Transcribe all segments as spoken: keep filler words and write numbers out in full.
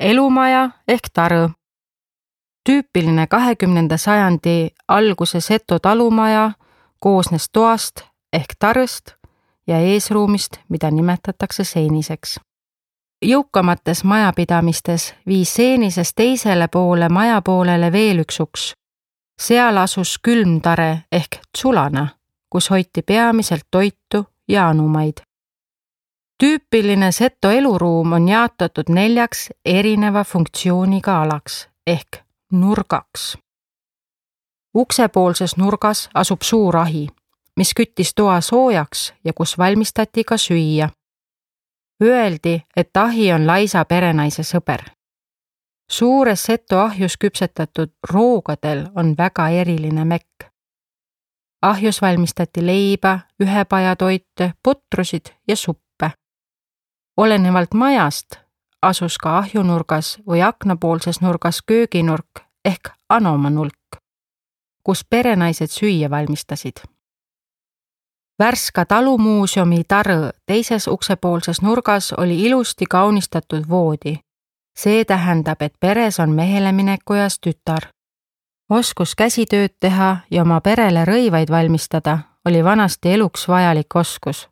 Elumaja ehk tarõ. Tüüpiline kahekümnenda sajandi alguse Seto talumaja koosnes toast ehk tarõst ja eesruumist, mida nimetatakse seeniseks. Jõukamates majapidamistes viis seenisest teisele poole maja poolele veel üks uks. Seal asus külmtare ehk tsulana, kus hoiti peamiselt toitu ja anumaid. Tüüpiline Seto eluruum on jaotatud neljaks erineva funktsiooniga alaks ehk nurgaks. Uksepoolses nurgas asub suur ahi, mis küttis toa soojaks ja kus valmistati ka süüa. Öeldi, et ahi on laisa perenaise sõber. Suures Seto ahjus küpsetatud roogadel on väga eriline mekk. Ahjus valmistati leiba, ühepajatoite, putrusid ja suppe. Olenevalt majast asus ka ahjunurgas või aknapoolses nurgas kööginurk ehk anomanulk, kus perenaised süüa valmistasid. Värska talumuuseumi tarõ teises uksepoolses nurgas oli ilusti kaunistatud voodi. See tähendab, et peres on mehele minekujas tütar. Oskus käsitööd teha ja oma perele rõivaid valmistada oli vanasti eluks vajalik oskus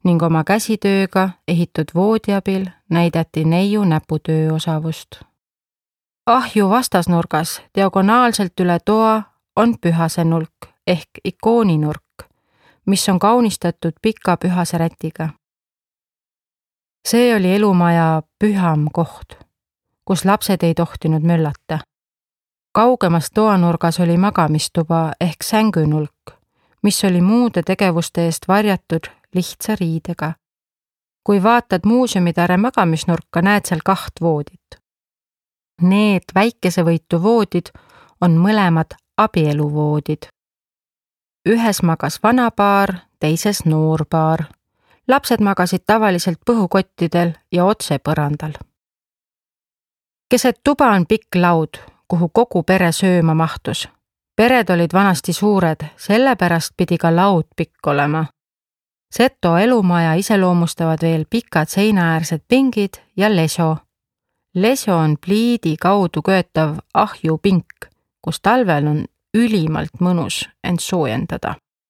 ning oma käsitööga ehitud voodi abil näidati neiu näputöö osavust. Ahju vastasnurgas diagonaalselt üle toa on pühase nulk ehk ikooninurk, mis on kaunistatud pika pühase rätiga. See oli elumaja püham koht, kus lapsed ei tohtinud möllata. Kaugemas toanurgas oli magamistuba ehk sängünulk, mis oli muude tegevuste eest varjatud lihtsa riidega. Kui vaatad muuseumitare magamisnurka, näed seal kaht voodit. Need väikesevõitu voodid on mõlemad abieluvoodid. Ühes magas vanapaar, teises noorpaar. Lapsed magasid tavaliselt põhukottidel ja otse põrandal. Keset tuba on pikk laud, kuhu kogu pere sööma mahtus. Pered olid vanasti suured, sellepärast pidi ka laud pikk olema. Seto elumaja iseloomustavad veel pikad seinaäärsed pingid ja leso. Leso on pliidi kaudu köötav ahjupink, kus talvel on ülimalt mõnus end soojendada.